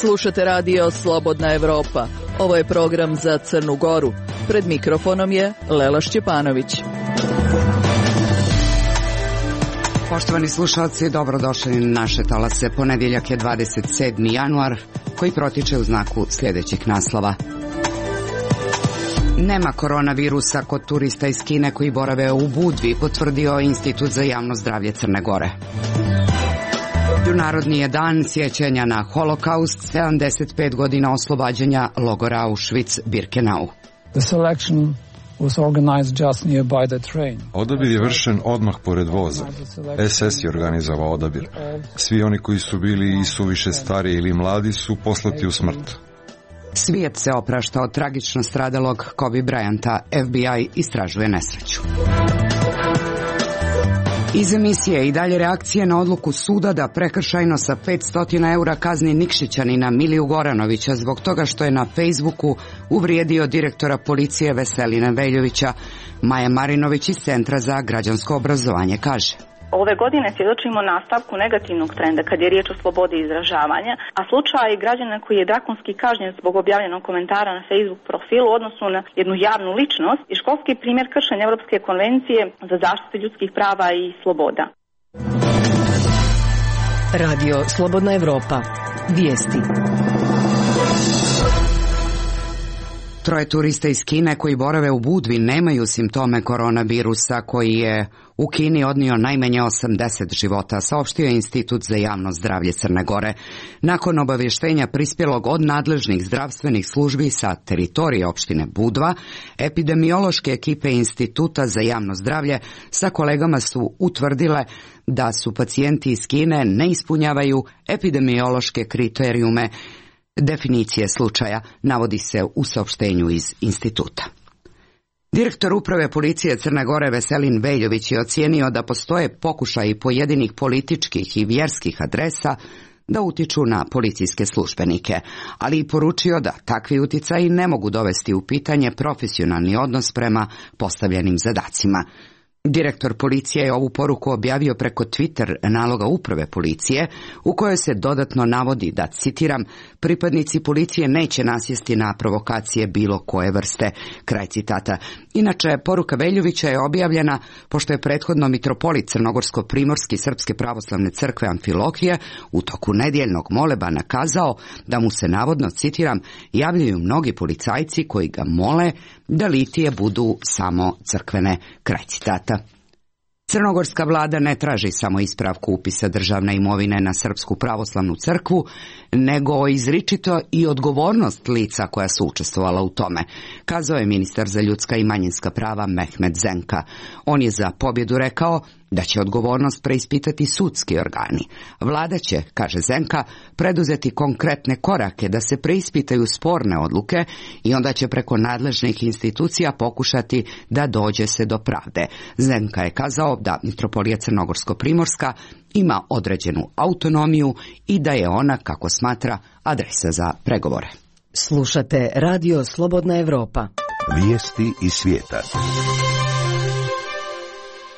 Slušate radio Slobodna Evropa. Ovo je program za Crnu Goru. Pred mikrofonom je Lela Šćepanović. Poštovani slušalci, dobrodošli na naše talase. Ponedjeljak je 27. januar, koji protiče u znaku sljedećih naslova. Nema koronavirusa kod turista iz Kine koji borave u Budvi, potvrdio Institut za javno zdravlje Crne Gore. Međunarodni je dan sjećanja na holokaust, 75 godina oslobađanja logora Auschwitz-Birkenau. Odabir je vršen odmah pored voza. SS je organizovao odabir. Svi oni koji su bili i suviše stari ili mladi su poslati u smrt. Svijet se oprašta od tragično stradalog Kobe Bryanta. FBI istražuje nesreću. Iz emisije i dalje reakcije na odluku suda da prekršajno sa 500 eura kazni Nikšićanina Miliju Goranovića zbog toga što je na Facebooku uvrijedio direktora policije Veselina Veljovića. Maja Marinović iz Centra za građansko obrazovanje kaže: Ove godine svjedočimo nastavku negativnog trenda kad je riječ o slobodi izražavanja, a slučaj građana koji je drakonski kažnjen zbog objavljenog komentara na Facebook profilu u odnosu na jednu javnu ličnost i školski primjer kršenja Europske konvencije za zaštitu ljudskih prava i sloboda. Radio Slobodna Evropa. Vijesti. Troje turista iz Kine koji borave u Budvi nemaju simptome koronavirusa koji je u Kini odnio najmanje 80 života, saopštio je Institut za javno zdravlje Crne Gore. Nakon obavještenja prispjelog od nadležnih zdravstvenih službi sa teritorije opštine Budva, epidemiološke ekipe Instituta za javno zdravlje sa kolegama su utvrdile da su pacijenti iz Kine ne ispunjavaju epidemiološke kriterijume definicije slučaja, navodi se u saopštenju iz instituta. Direktor uprave policije Crne Gore Veselin Veljović je ocijenio da postoje pokušaji pojedinih političkih i vjerskih adresa da utiču na policijske službenike, ali i poručio da takvi uticaji ne mogu dovesti u pitanje profesionalni odnos prema postavljenim zadacima. Direktor policije je ovu poruku objavio preko Twitter naloga uprave policije, u kojoj se dodatno navodi da, citiram, pripadnici policije neće nasjesti na provokacije bilo koje vrste, kraj citata. Inače, poruka Veljovića je objavljena pošto je prethodno mitropolit Crnogorsko-primorski Srpske pravoslavne crkve Amfilohije u toku nedjeljnog molebana kazao da mu se navodno, citiram, javljaju mnogi policajci koji ga mole da litije budu samo crkvene, kraj citata. Crnogorska vlada ne traži samo ispravku upisa državne imovine na Srpsku pravoslavnu crkvu, nego izričito i odgovornost lica koja su učestvovala u tome, kazao je ministar za ljudska i manjinska prava Mehmet Zenka. On je za pobjedu rekao da će odgovornost preispitati sudski organi. Vlada će, kaže Zenka, preduzeti konkretne korake da se preispitaju sporne odluke i onda će preko nadležnih institucija pokušati da dođe se do pravde. Zenka je kazao da mitropolija Crnogorsko-primorska ima određenu autonomiju i da je ona, kako smatra, adresa za pregovore. Slušate radio Slobodna Evropa. Vijesti iz svijeta.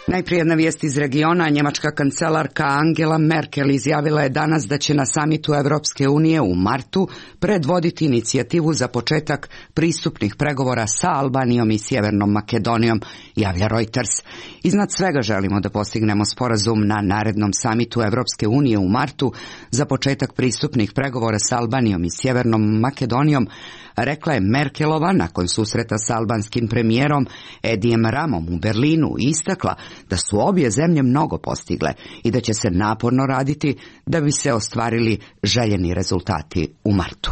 Najprije jedna vijest iz regiona. Njemačka kancelarka Angela Merkel izjavila je danas da će na samitu Evropske unije u martu predvoditi inicijativu za početak pristupnih pregovora sa Albanijom i Sjevernom Makedonijom, javlja Reuters. Iznad svega želimo da postignemo sporazum na narednom samitu Evropske unije u martu za početak pristupnih pregovora sa Albanijom i Sjevernom Makedonijom, rekla je Merkelova nakon susreta s albanskim premijerom Edijem Ramom u Berlinu i istakla da su obje zemlje mnogo postigle i da će se naporno raditi da bi se ostvarili željeni rezultati u martu.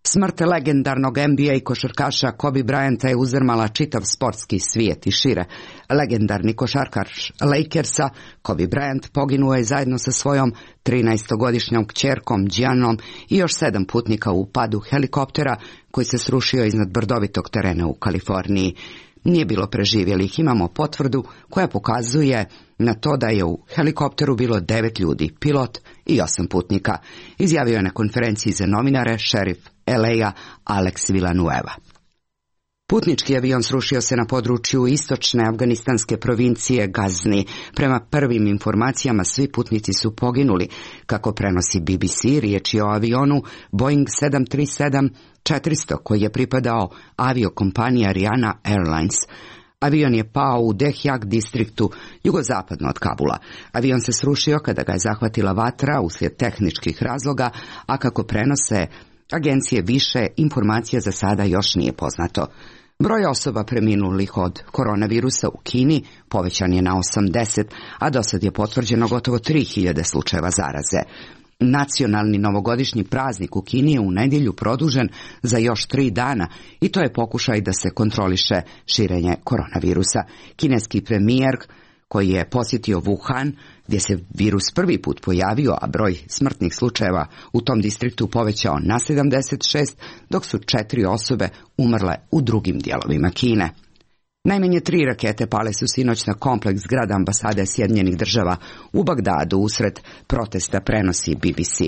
Smrt legendarnog NBA košarkaša Kobe Bryanta je uzdrmala čitav sportski svijet i šire. Legendarni košarkaš Lakersa Kobe Bryant poginuo je zajedno sa svojom 13-godišnjom kćerkom Giannom i još 7 putnika u padu helikoptera koji se srušio iznad brdovitog terena u Kaliforniji. Nije bilo preživjelih, imamo potvrdu koja pokazuje na to da je u helikopteru bilo 9 ljudi, pilot i 8 putnika, izjavio je na konferenciji za novinare šerif LA Alex Villanueva. Putnički avion srušio se na području istočne afganistanske provincije Gazni. Prema prvim informacijama svi putnici su poginuli. Kako prenosi BBC, riječ je o avionu Boeing 737-400 koji je pripadao aviokompaniji Ariana Airlines. Avion je pao u Dehjak distriktu jugozapadno od Kabula. Avion se srušio kada ga je zahvatila vatra uslijed tehničkih razloga, a kako prenose agencije više, informacija za sada još nije poznato. Broj osoba preminulih od koronavirusa u Kini povećan je na 80, a dosad je potvrđeno gotovo 3000 slučajeva zaraze. Nacionalni novogodišnji praznik u Kini je u nedjelju produžen za još 3 dana i to je pokušaj da se kontroliše širenje koronavirusa. Kineski premijer koji je posjetio Wuhan, gdje se virus prvi put pojavio, a broj smrtnih slučajeva u tom distriktu povećao na 76, dok su 4 osobe umrle u drugim dijelovima Kine. Najmanje 3 rakete pale su sinoć na kompleks zgrada ambasade Sjedinjenih Država u Bagdadu usred protesta, prenosi BBC.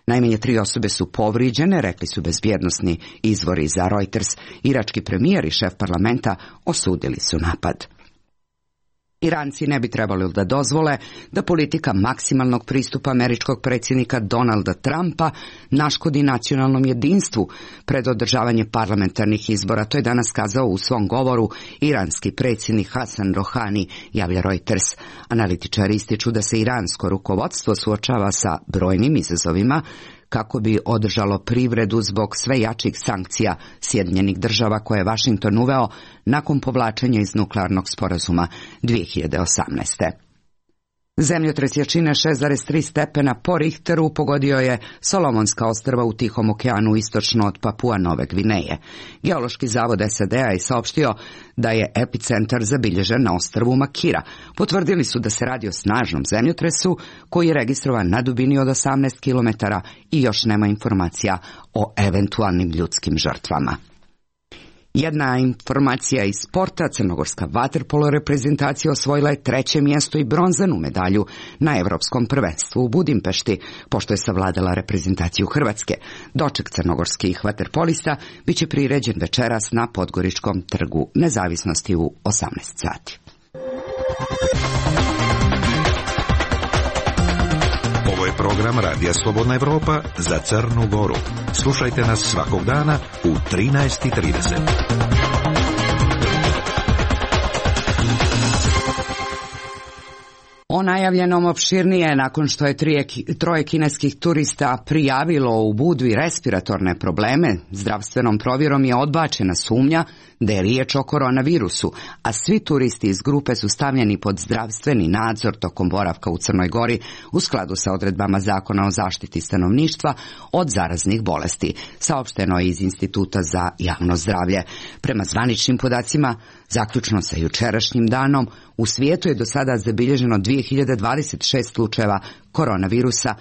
Najmanje 3 osobe su povrijeđene, rekli su bezbjednosni izvori za Reuters. Irački premijer i šef parlamenta osudili su napad. Iranci ne bi trebali da dozvole da politika maksimalnog pristupa američkog predsjednika Donalda Trumpa naškodi nacionalnom jedinstvu pred održavanje parlamentarnih izbora. To je danas kazao u svom govoru iranski predsjednik Hasan Rohani, javlja Reuters. Analitičari ističu da se iransko rukovodstvo suočava sa brojnim izazovima kako bi održalo privredu zbog sve jačih sankcija Sjedinjenih Država koje je Washington uveo nakon povlačenja iz nuklearnog sporazuma 2018. Zemljotres jačine 6,3 stepena po Richteru pogodio je Solomonska ostrva u Tihom okeanu istočno od Papua Nove Gvineje. Geološki zavod SAD-a je saopštio da je epicentar zabilježen na ostrvu Makira. Potvrdili su da se radi o snažnom zemljotresu koji je registrovan na dubini od 18 km i još nema informacija o eventualnim ljudskim žrtvama. Jedna informacija iz sporta, crnogorska vaterpolo reprezentacija osvojila je 3. mjesto i bronzanu medalju na Evropskom prvenstvu u Budimpešti, pošto je savladala reprezentaciju Hrvatske. Doček crnogorskih vaterpolista bit će priređen večeras na Podgoričkom trgu Nezavisnosti u 18 sati. Ovo je program Radija Slobodna Evropa za Crnu Goru. Slušajte nas svakog dana u 13:30. O najavljenom opširnije nakon što je 3 kineskih turista prijavilo u Budvi respiratorne probleme, zdravstvenom provjerom je odbačena sumnja da je riječ o koronavirusu, a svi turisti iz grupe su stavljeni pod zdravstveni nadzor tokom boravka u Crnoj Gori u skladu sa odredbama Zakona o zaštiti stanovništva od zaraznih bolesti, saopšteno je iz Instituta za javno zdravlje. Prema zvaničnim podacima, zaključno sa jučerašnjim danom, u svijetu je do sada zabilježeno 2026 slučajeva koronavirusa,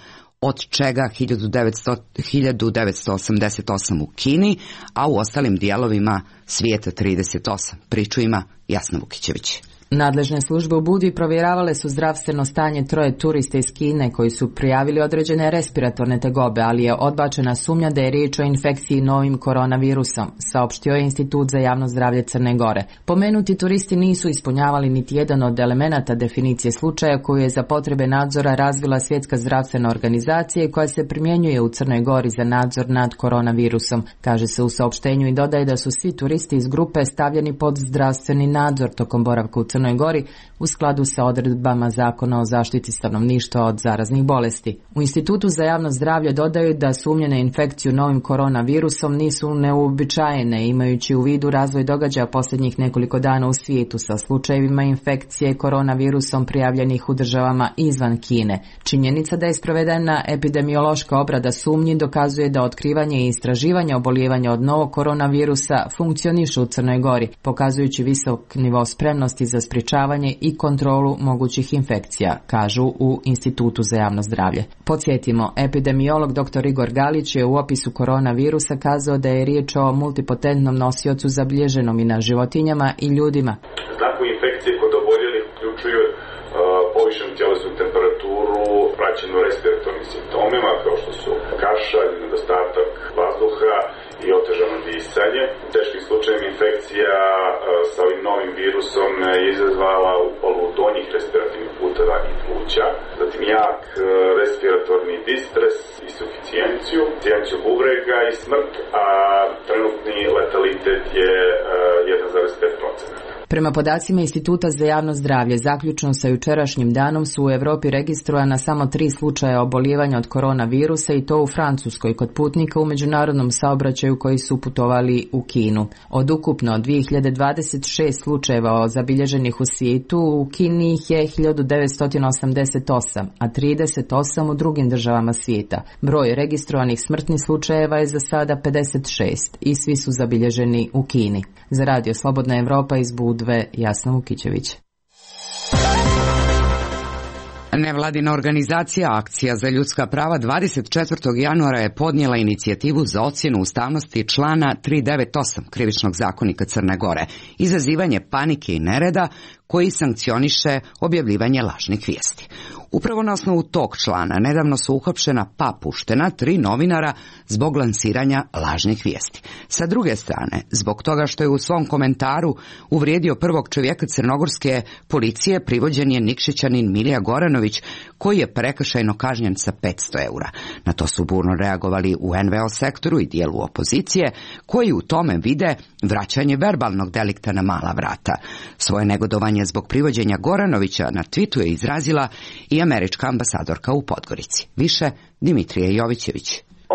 od čega 1988 u Kini, a u ostalim dijelovima svijeta 38. Priču ima Jasna Vukićević. Nadležne službe u Budvi provjeravale su zdravstveno stanje 3 turista iz Kine koji su prijavili određene respiratorne tegobe, ali je odbačena sumnja da je riječ o infekciji novim koronavirusom, saopštio je Institut za javno zdravlje Crne Gore. Pomenuti turisti nisu ispunjavali niti jedan od elemenata definicije slučaja koju je za potrebe nadzora razvila Svjetska zdravstvena organizacija koja se primjenjuje u Crnoj Gori za nadzor nad koronavirusom. Kaže se u saopštenju i dodaje da su svi turisti iz grupe stavljeni pod zdravstveni nadzor tokom boravka u Crnoj Gori u skladu sa odredbama Zakona o zaštiti stanovništva od zaraznih bolesti. U Institutu za javno zdravlje dodaju da sumnje na infekciju novim koronavirusom nisu neuobičajene, imajući u vidu razvoj događaja posljednjih nekoliko dana u svijetu sa slučajevima infekcije koronavirusom prijavljenih u državama izvan Kine. Činjenica da je sprovedena epidemiološka obrada sumnji dokazuje da otkrivanje i istraživanje obolijevanja od novog koronavirusa funkcionišu u Crnoj Gori, pokazujući visok nivo spremnosti za sprječavanje i i kontrolu mogućih infekcija, kažu u Institutu za javno zdravlje. Podsjetimo, epidemiolog dr. Igor Galić je u opisu koronavirusa kazao da je riječ o multipotentnom nosiocu zabilježenom i na životinjama i ljudima. Znakovi infekcije kod oboljelih uključuju povišenu tjelesnu temperaturu, praćenu respiratornim simptomima kao što su kašalj, nedostatak vazduha i otežano disanje. U teškim slučajevima infekcija sa ovim novim virusom je izazvala upalu donjih respiratornih puteva i pluća, zatim jak respiratorni distres i suficijenciju bubrega i smrt, a trenutni letalitet je 1,5%. Prema podacima Instituta za javno zdravlje, zaključno sa jučerašnjim danom su u Europi registrovana samo 3 slučaja obolijevanja od koronavirusa i to u Francuskoj kod putnika u međunarodnom saobraćaju koji su putovali u Kinu. Od ukupno 2026 slučajeva zabilježenih u svijetu, u Kini ih je 1988, a 38 u drugim državama svijeta. Broj registrovanih smrtnih slučajeva je za sada 56 i svi su zabilježeni u Kini. Za Radio Slobodna Evropa iz Budve, Jasna Vukićević. Nevladina organizacija Akcija za ljudska prava 24. januara je podnijela inicijativu za ocjenu ustavnosti člana 398 Krivičnog zakonika Crne Gore, izazivanje panike i nereda koji sankcioniše objavljivanje lažnih vijesti. Upravo na osnovu tog člana nedavno su uhapšena pa puštena 3 novinara zbog lansiranja lažnih vijesti. Sa druge strane, zbog toga što je u svom komentaru uvrijedio prvog čovjeka crnogorske policije, privođen je Nikšićanin Milija Goranović, koji je prekršajno kažnjen sa 500 eura. Na to su burno reagovali u NVO sektoru i dijelu opozicije, koji u tome vide vraćanje verbalnog delikta na mala vrata. Svoje negodovanje zbog privođenja Goranovića na Twitteru je izrazila i američka ambasadorka u Podgorici. Više Dimitrije Jovićević.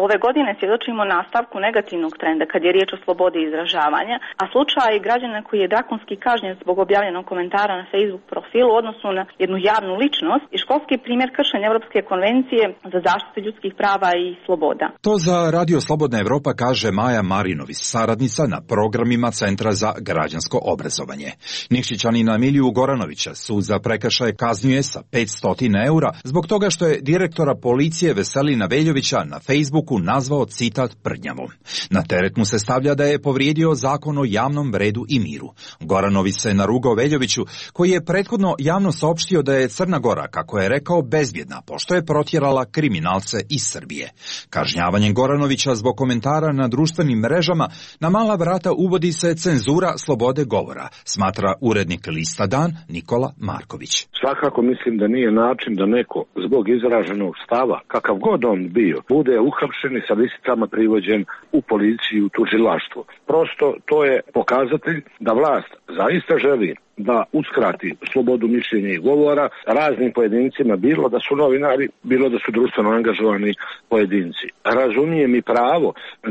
Ove godine svjedočimo nastavku negativnog trenda kad je riječ o slobodi izražavanja, a slučaj građana koji je drakonski kažnjen zbog objavljenog komentara na Facebook profilu u odnosu na jednu javnu ličnost i školski primjer kršenja Europske konvencije za zaštitu ljudskih prava i sloboda. To za Radio Slobodna Evropa kaže Maja Marinović, saradnica na programima Centra za građansko obrazovanje. Nikšićanina Miliju Goranovića sud za prekršaje kaznjuje sa 500 eura zbog toga što je direktora policije Veselina Veljovića na Facebooku nazvao citat prdnjavom. Na teret mu se stavlja da je povrijedio zakon o javnom redu i miru. Goranović se narugao Veljoviću, koji je prethodno javno saopštio da je Crna Gora, kako je rekao, bezbjedna, pošto je protjerala kriminalce iz Srbije. Kažnjavanjem Goranovića zbog komentara na društvenim mrežama na mala vrata uvodi se cenzura slobode govora, smatra urednik Lista Dan Nikola Marković. Svakako mislim da nije način da neko zbog izraženog stava, kakav god on bio, bude uhapšen i sa lisicama privođen u policiju, u tužilaštvo. Prosto to je pokazatelj da vlast zaista želi da uskrati slobodu mišljenja i govora raznim pojedincima, bilo da su novinari, bilo da su društveno angažovani pojedinci. Razumijem i pravo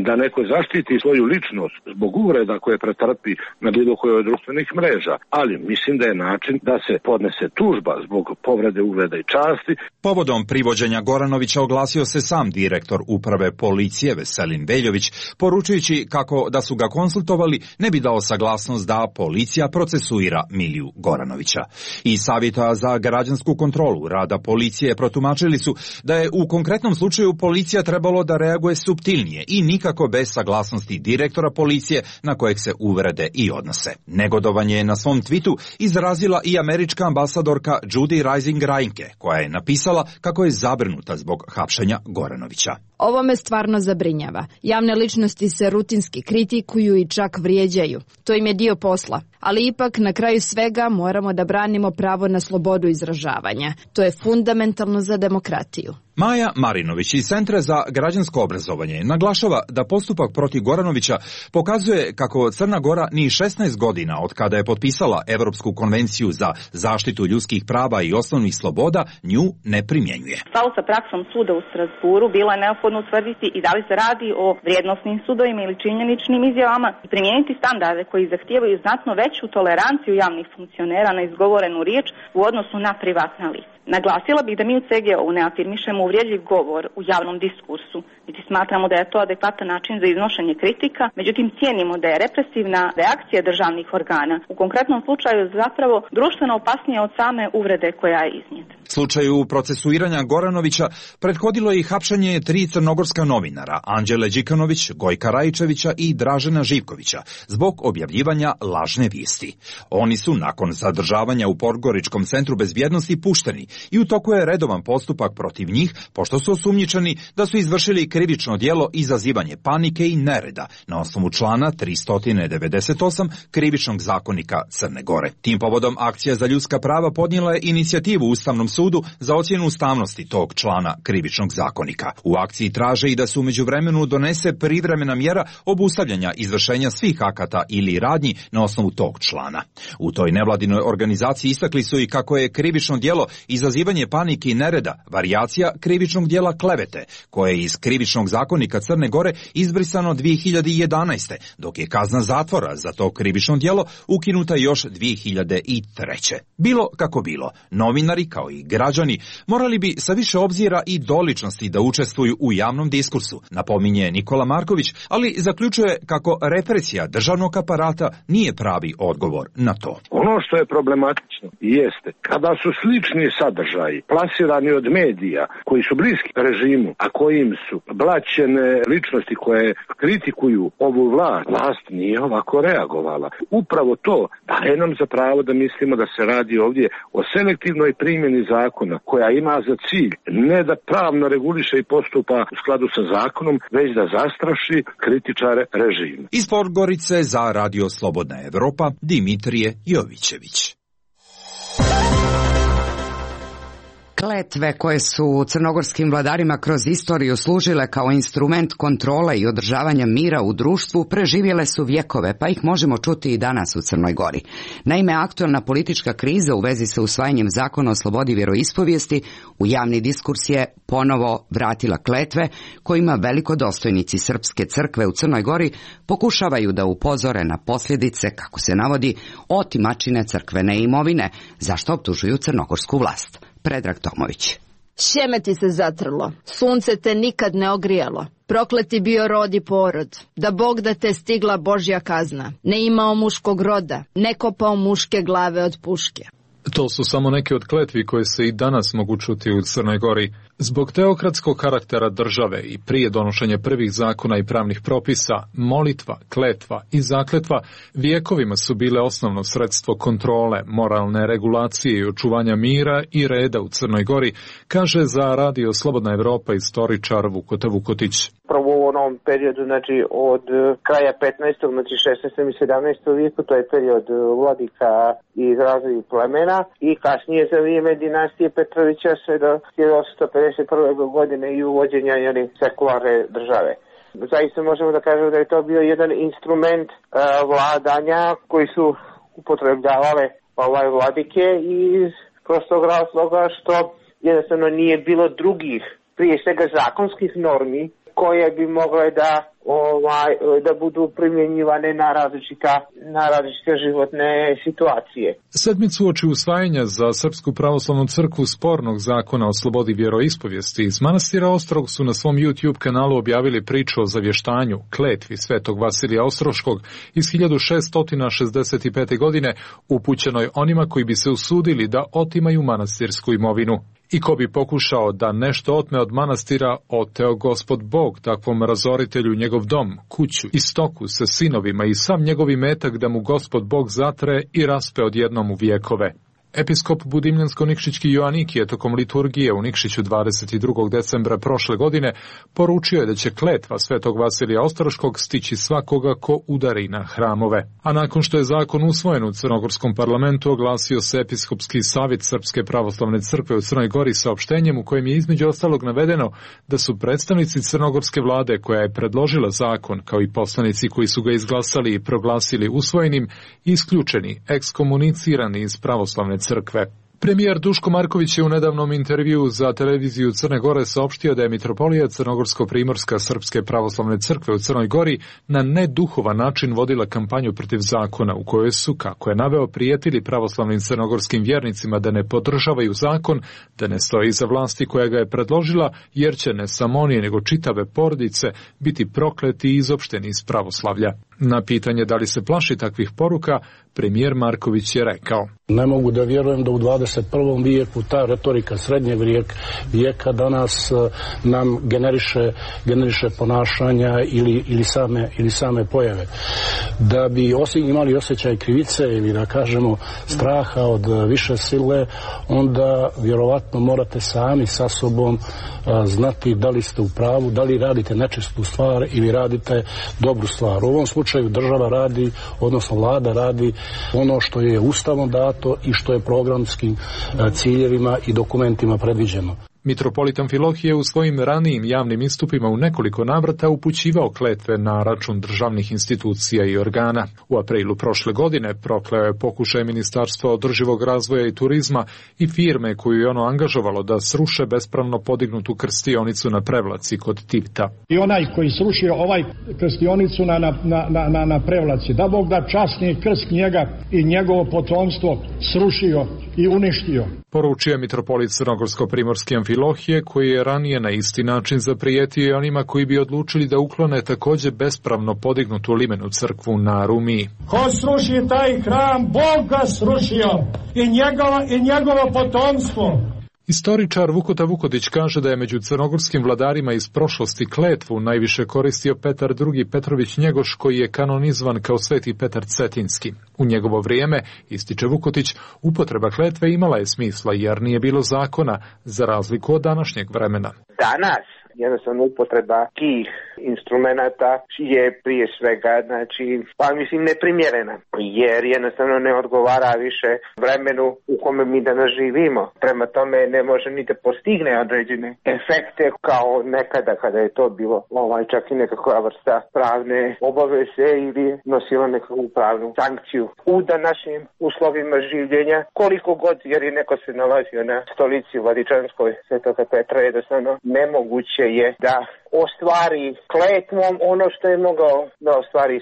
da neko zaštiti svoju ličnost zbog uvreda koje pretrpi na bilo kojoj od društvenih mreža, ali mislim da je način da se podnese tužba zbog povrede ugleda i časti. Povodom privođenja Goranovića oglasio se sam direktor uprave policije Veselin Veljović, poručujući kako da su ga konsultovali ne bi dao saglasnost da policija procesuira Miliju Goranovića. Iz Savjeta za građansku kontrolu rada policije protumačili su da je u konkretnom slučaju policija trebalo da reaguje suptilnije i nikako bez saglasnosti direktora policije na kojeg se uvrede i odnose. Negodovanje je na svom tweetu izrazila i američka ambasadorka Judy Rising Reinke, koja je napisala kako je zabrinuta zbog hapšenja Goranovića. Ovo me stvarno zabrinjava. Javne ličnosti se rutinski kritikuju i čak vrijeđaju. To im je dio posla. Ali ipak na kraju svega moramo da branimo pravo na slobodu izražavanja. To je fundamentalno za demokratiju. Maja Marinović iz Centra za građansko obrazovanje naglašava da postupak protiv Goranovića pokazuje kako Crna Gora ni 16 godina od kada je potpisala Europsku konvenciju za zaštitu ljudskih prava i osnovnih sloboda nju ne primjenjuje. Stalo sa praksom suda u Strasburu bilo je neophodno utvrditi i da li se radi o vrijednosnim sudovima ili činjeničnim izjavama i primijeniti standarde koji zahtijevaju znatno veću toleranciju javnih funkcionera na izgovorenu riječ u odnosu na privatna lica. Naglasila bih da mi u CGO ne afirmišemo uvrijedljiv govor u javnom diskursu, niti smatramo da je to adekvatan način za iznošenje kritika, međutim cijenimo da je represivna reakcija državnih organa u konkretnom slučaju zapravo društveno opasnija od same uvrede koja je iznijeta. Slučaju procesuiranja Goranovića prethodilo je i hapšenje 3 crnogorska novinara, Anđele Đikanović, Gojka Rajičevića i Dražena Živkovića, zbog objavljivanja lažne vijesti. Oni su nakon zadržavanja u Podgoričkom centru bezbjednosti pušteni i u toku je redovan postupak protiv njih, pošto su osumnjičeni da su izvršili krivično djelo izazivanje panike i nereda na osnovu člana 398 Krivičnog zakonika Crne Gore. Tim povodom Akcija za ljudska prava podnijela je inicijativu Ustavnom sudu za ocjenu ustavnosti tog člana Krivičnog zakonika. U akciji traže i da se u međuvremenu donese privremena mjera obustavljanja izvršenja svih akata ili radnji na osnovu tog člana. U toj nevladinoj organizaciji istakli su i kako je krivično djelo izazivanje panike i nereda varijacija krivičnog djela klevete, koje je iz Krivičnog zakonika Crne Gore izbrisano 2011. dok je kazna zatvora za to krivično djelo ukinuta još 2003. Bilo kako bilo, novinari kao i građani morali bi sa više obzira i doličnosti da učestvuju u javnom diskursu, napominje Nikola Marković, ali zaključuje kako represija državnog aparata nije pravi odgovor na to. Ono što je problematično jeste kada su slični sadržaji plasirani od medija koji su bliski režimu, a kojim su blaćene ličnosti koje kritikuju ovu vlast nije ovako reagovala. Upravo to daje nam za pravo da mislimo da se radi ovdje o selektivnoj primjeni zakona koja ima za cilj ne da pravno reguliše i postupa u skladu sa zakonom, već da zastraši kritičare režima. Iz Podgorice za Radio Slobodna Evropa, Dimitrije Jovićević. Kletve koje su crnogorskim vladarima kroz istoriju služile kao instrument kontrole i održavanja mira u društvu preživjele su vjekove, pa ih možemo čuti i danas u Crnoj Gori. Naime, aktualna politička kriza u vezi sa usvajanjem zakona o slobodi vjeroispovijesti u javni diskurs je ponovo vratila kletve kojima velikodostojnici Srpske crkve u Crnoj Gori pokušavaju da upozore na posljedice, kako se navodi, otimačine crkvene imovine, zašto optužuju crnogorsku vlast. Predrag Tomović. Sjeme ti se zatrlo, sunce te nikad ne ogrijalo, prokleti bio rod i porod, da Bog da te stigla Božja kazna, ne imao muškog roda, ne kopao muške glave od puške. To su samo neke od kletvi koje se i danas mogu čuti u Crnoj Gori. Zbog teokratskog karaktera države i prije donošenja prvih zakona i pravnih propisa, molitva, kletva i zakletva vijekovima su bile osnovno sredstvo kontrole, moralne regulacije i očuvanja mira i reda u Crnoj Gori, kaže za Radio Slobodna Evropa istoričar Vukota Vukotić. Prvo u onom periodu, znači od kraja 15. znači 16. i 17. vijeku, to je period vladika iz raznih plemena i kasnije za vrijeme dinastije Petrovića sve do 1851. godine i uvođenja sekularne države. Zaista možemo da kažemo da je to bio jedan instrument vladanja koji su upotrebljavale vladike iz prostog razloga što jednostavno nije bilo drugih, prije svega zakonskih normi koje bi mogle da budu primjenjivane na različite životne situacije. Sedmicu uoči usvajanja za Srpsku pravoslavnu crkvu spornog zakona o slobodi vjeroispovijesti iz manastira Ostrog su na svom YouTube kanalu objavili priču o zavještanju, kletvi svetog Vasilija Ostroškog iz 1665. godine upućenoj onima koji bi se usudili da otimaju manastirsku imovinu. I ko bi pokušao da nešto otme od manastira, oteo Gospod Bog takvom razoritelju njegov dom, kuću i stoku sa sinovima i sam njegov imetak da mu Gospod Bog zatre i raspe odjednom u vjekove. Episkop Budimljansko-Nikšićki Joannikije tokom liturgije u Nikšiću 22. decembra prošle godine poručio je da će kletva svetog Vasilija Ostroškog stići svakoga ko udari na hramove. A nakon što je zakon usvojen u Crnogorskom parlamentu, oglasio se Episkopski savjet Srpske pravoslavne crkve u Crnoj Gori saopštenjem u kojem je između ostalog navedeno da su predstavnici crnogorske vlade koja je predložila zakon, kao i poslanici koji su ga izglasali i proglasili usvojenim, isključeni, ekskomunicirani iz pravoslavne crkve. Premijer Duško Marković je u nedavnom intervjuu za televiziju Crne Gore saopštio da je mitropolija Crnogorsko-primorska Srpske pravoslavne crkve u Crnoj Gori na neduhovan način vodila kampanju protiv zakona u kojoj su, kako je naveo, prijetili pravoslavnim crnogorskim vjernicima da ne podržavaju zakon, da ne stoji iza vlasti koja ga je predložila, jer će ne samo oni nego čitave porodice biti prokleti i izopšteni iz pravoslavlja. Na pitanje da li se plaši takvih poruka, premijer Marković je rekao: Ne mogu da vjerujem da u 21. vijeku ta retorika srednjeg vijeka danas nam generiše ponašanja ili same pojave. Da bi imali osjećaj krivice ili da kažemo straha od više sile, onda vjerovatno morate sami sa sobom znati da li ste u pravu, da li radite nečistu stvar ili radite dobru stvar. U ovom slučaju država radi, odnosno vlada radi ono što je ustavom dato i što je programskim ciljevima i dokumentima predviđeno. Mitropolit Amfilohije u svojim ranijim javnim istupima u nekoliko navrata upućivao kletve na račun državnih institucija i organa. U aprilu prošle godine prokleo je pokušaj Ministarstva održivog razvoja i turizma i firme koju je ono angažovalo da sruše bespravno podignutu krstionicu na Prevlaci kod Tivta. I onaj koji srušio ovaj krstionicu na Prevlaci, da Bog da časni krst njega i njegovo potomstvo srušio i uništio. Poručio je mitropolit Crnogorsko-primorski Amfilohije, koji je ranije na isti način zaprijetio i onima koji bi odlučili da uklone također bespravno podignutu limenu crkvu na Rumiji. Ko sruši taj hram, Bog ga srušio i njegovo potomstvo. Istoričar Vukota Vukodić kaže da je među crnogorskim vladarima iz prošlosti kletvu najviše koristio Petar II. Petrović Njegoš, koji je kanonizovan kao Sveti Petar Cetinski. U njegovo vrijeme, ističe Vukotić, upotreba kletve imala je smisla jer nije bilo zakona, za razliku od današnjeg vremena. Danas jednostavno upotreba tih instrumenata je prije svega, neprimjerena, jer jednostavno ne odgovara više vremenu u kome mi danas živimo. Prema tome ne može ni da postigne određene efekte kao nekada kada je to bilo čak i nekakva vrsta pravne obaveze ili nosila nekakvu pravnu sankciju. U današnjim uslovima življenja, koliko god, jer je neko se nalazio na stolici Vladičanskoj Svetoga Petra, jednostavno nemoguće je da ostvari kletvom ono što je mogao da ostvari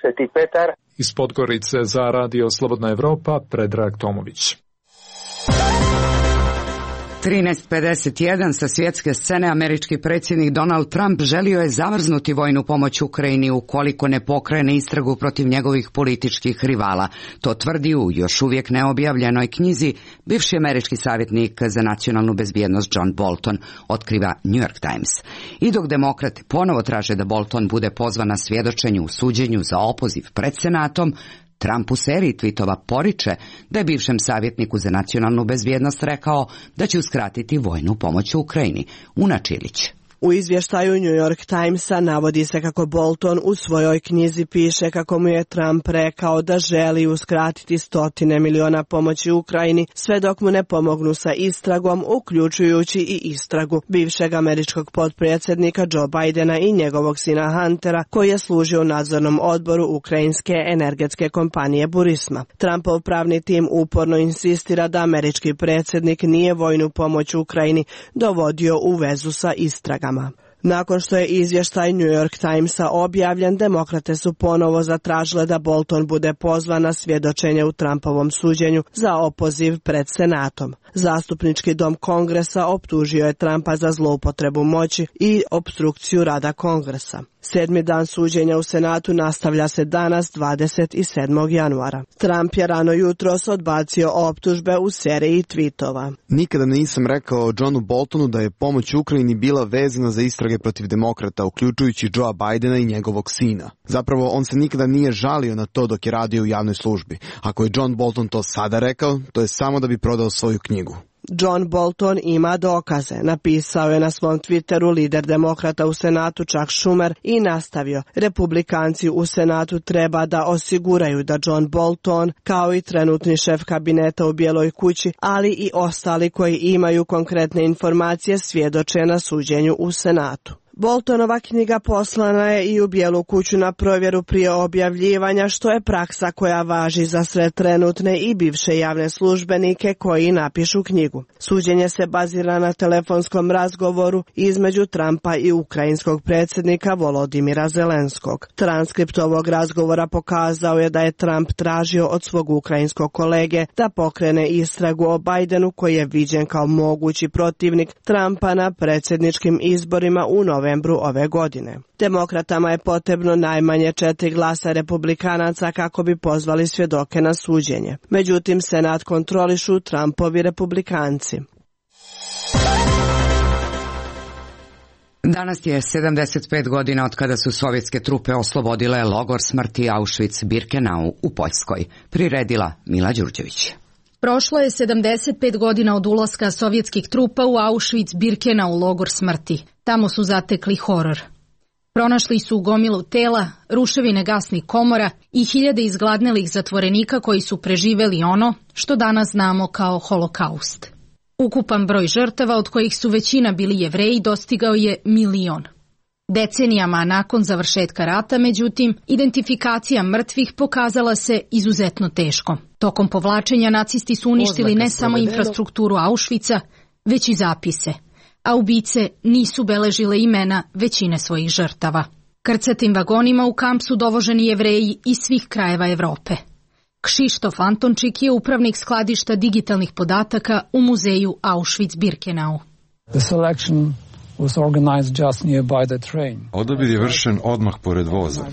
Sveti Petar. Iz Podgorice za Radio Slobodna Evropa, Predrag Tomović. 13:51 sa svjetske scene američki predsjednik Donald Trump želio je zamrznuti vojnu pomoć Ukrajini ukoliko ne pokrene istragu protiv njegovih političkih rivala. To tvrdi u još uvijek neobjavljenoj knjizi bivši američki savjetnik za nacionalnu bezbjednost John Bolton, otkriva New York Times. I dok demokrati ponovo traže da Bolton bude pozvan na svjedočenju u suđenju za opoziv pred Senatom, Trump u seriji tvitova poriče da je bivšem savjetniku za nacionalnu bezbjednost rekao da će uskratiti vojnu pomoć u Ukrajini. Una Čilić. U izvještaju New York Timesa navodi se kako Bolton u svojoj knjizi piše kako mu je Trump rekao da želi uskratiti 100 miliona pomoći Ukrajini sve dok mu ne pomognu sa istragom, uključujući i istragu bivšeg američkog potpredsjednika Joe Bidena i njegovog sina Huntera, koji je služio u nadzornom odboru ukrajinske energetske kompanije Burisma. Trumpov pravni tim uporno insistira da američki predsjednik nije vojnu pomoć Ukrajini dovodio u vezu sa istragama. Nakon što je izvještaj New York Timesa objavljen, demokrate su ponovo zatražile da Bolton bude pozvan na svjedočenje u Trumpovom suđenju za opoziv pred Senatom. Zastupnički dom Kongresa optužio je Trumpa za zloupotrebu moći i opstrukciju rada Kongresa. 7. dan suđenja u Senatu nastavlja se danas 27. januara. Trump je rano jutros odbacio optužbe u seriji tweetova. Nikada nisam rekao Johnu Boltonu da je pomoć Ukrajini bila vezana za istrage protiv demokrata, uključujući Joea Bidena i njegovog sina. Zapravo, on se nikada nije žalio na to dok je radio u javnoj službi. Ako je John Bolton to sada rekao, to je samo da bi prodao svoju knjigu. John Bolton ima dokaze, napisao je na svom Twitteru lider demokrata u Senatu Chuck Schumer i nastavio: Republikanci u Senatu treba da osiguraju da John Bolton, kao i trenutni šef kabineta u Bijeloj kući, ali i ostali koji imaju konkretne informacije, svjedoče na suđenju u Senatu. Boltonova knjiga poslana je i u Bijelu kuću na provjeru prije objavljivanja, što je praksa koja važi za sve trenutne i bivše javne službenike koji napišu knjigu. Suđenje se bazira na telefonskom razgovoru između Trumpa i ukrajinskog predsjednika Volodimira Zelenskog. Transkript ovog razgovora pokazao je da je Trump tražio od svog ukrajinskog kolege da pokrene istragu o Bidenu, koji je viđen kao mogući protivnik Trumpa na predsjedničkim izborima u novembru ove godine. Demokratama je potrebno najmanje 4 glasa republikanaca kako bi pozvali svjedoke na suđenje. Međutim, Senat kontrolišu Trumpovi republikanci. Danas je 75 godina od kada su sovjetske trupe oslobodile logor smrti Auschwitz-Birkenau u Poljskoj. Priredila Mila Đurđević. Prošlo je 75 godina od ulaska sovjetskih trupa u Auschwitz-Birkenau logor smrti. Tamo su zatekli horor. Pronašli su gomilu tela, ruševine gasnih komora i hiljade izgladnelih zatvorenika koji su preživeli ono što danas znamo kao holokaust. Ukupan broj žrtava, od kojih su većina bili Jevreji, dostigao je 1 milion. Decenijama nakon završetka rata, međutim, identifikacija mrtvih pokazala se izuzetno teško. Tokom povlačenja nacisti su uništili ne samo infrastrukturu Auschwitza, već i zapise, a ubice nisu beležile imena većine svojih žrtava. Krcatim vagonima u kamp su dovoženi Jevreji iz svih krajeva Evrope. Kšištof Antončik je upravnik skladišta digitalnih podataka u muzeju Auschwitz-Birkenau. Odabir je vršen odmah pored voza.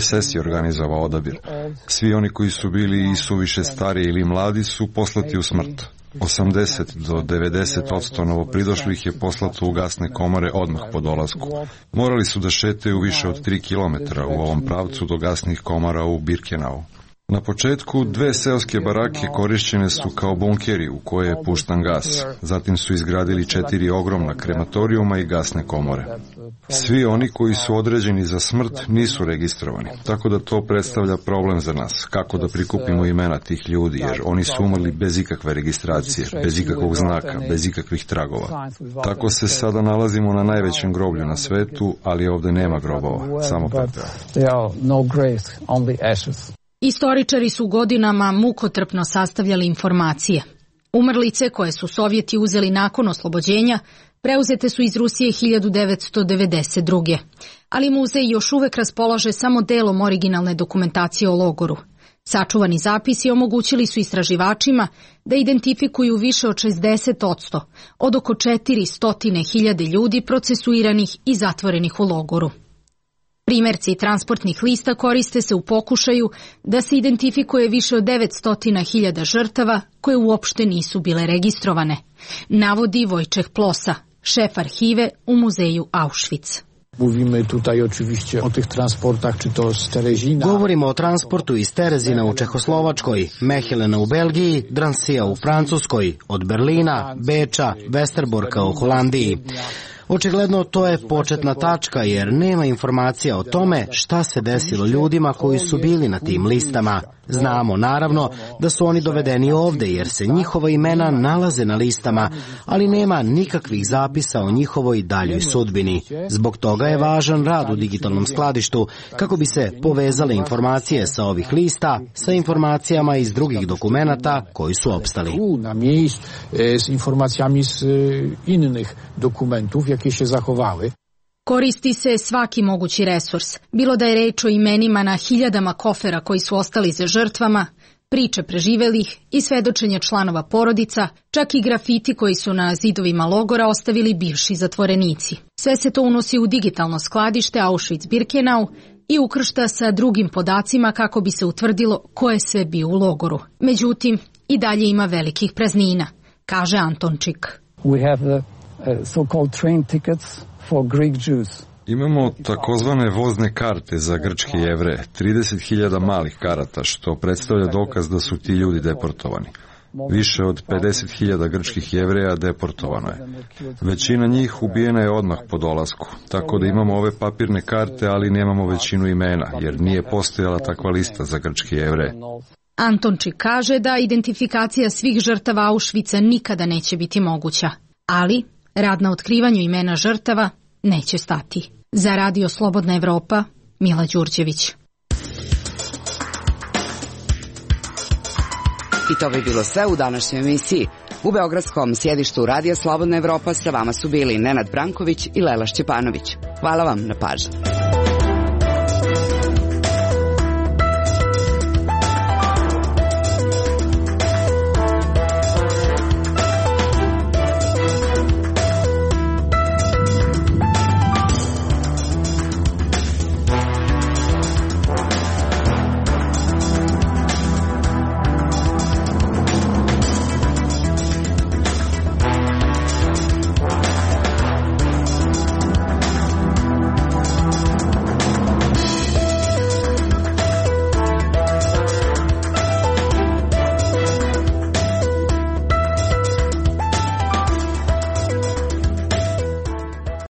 SS je organizovao odabir. Svi oni koji su bili i suviše stariji ili mladi su poslati u smrt. 80 do 90% novopridošlih je poslato u gasne komore odmah po dolasku. Morali su da šetaju više od 3 km u ovom pravcu do gasnih komora u Birkenau. Na početku 2 seoske barake korišćene su kao bunkeri u koje je puštan gas. Zatim su izgradili 4 ogromna krematorijuma i gasne komore. Svi oni koji su određeni za smrt nisu registrovani, tako da to predstavlja problem za nas. Kako da prikupimo imena tih ljudi, jer oni su umrli bez ikakve registracije, bez ikakvog znaka, bez ikakvih tragova. Tako se sada nalazimo na najvećem groblju na svetu, ali ovdje nema grobova, samo pepeo. Istoričari su godinama mukotrpno sastavljali informacije. Umrlice koje su Sovjeti uzeli nakon oslobođenja preuzete su iz Rusije 1992. Ali muzej još uvek raspolaže samo delom originalne dokumentacije o logoru. Sačuvani zapisi omogućili su istraživačima da identifikuju više od 60% od oko 400.000 ljudi procesuiranih i zatvorenih u logoru. Primjerci transportnih lista koriste se u pokušaju da se identifikuje više od 900.000 žrtava koje uopšte nisu bile registrovane, navodi Wojciech Plosa, šef arhive u muzeju Auschwitz. Govorimo o transportu iz Terezina u Čehoslovačkoj, Mehelena u Belgiji, Dransija u Francuskoj, od Berlina, Beča, Westerborka u Holandiji. Očigledno to je početna tačka jer nema informacija o tome šta se desilo ljudima koji su bili na tim listama. Znamo naravno da su oni dovedeni ovde jer se njihova imena nalaze na listama, ali nema nikakvih zapisa o njihovoj daljoj sudbini. Zbog toga je važan rad u digitalnom skladištu kako bi se povezale informacije sa ovih lista sa informacijama iz drugih dokumenata koji su opstali. S informacijama iz innych dokumentów, jakie się zachowały. Koristi se svaki mogući resurs, bilo da je reč o imenima na hiljadama kofera koji su ostali za žrtvama, priče preživelih i svedočenja članova porodica, čak i grafiti koji su na zidovima logora ostavili bivši zatvorenici. Sve se to unosi u digitalno skladište Auschwitz-Birkenau i ukršta sa drugim podacima kako bi se utvrdilo ko je sve bio u logoru. Međutim, i dalje ima velikih praznina, kaže Antončik. We have the so-called train tickets for Greek Jews. Imamo takozvane vozne karte za grčke Jevreje, 30.000 malih karata, što predstavlja dokaz da su ti ljudi deportovani. Više od 50.000 grčkih Jevreja deportovano je. Većina njih ubijena je odmah po dolasku, tako da imamo ove papirne karte, ali nemamo većinu imena, jer nije postojala takva lista za grčke Jevreje. Antončik kaže da identifikacija svih žrtava Auschwitza nikada neće biti moguća, ali rad na otkrivanju imena žrtava neće stati. Za Radio Slobodna Evropa, Mila Đurđević. I to bi bilo sve u današnjoj emisiji. U beogradskom sjedištu Radija Slobodna Evropa sa vama su bili Nenad Branković i Lela Šćepanović. Hvala vam na pažnji.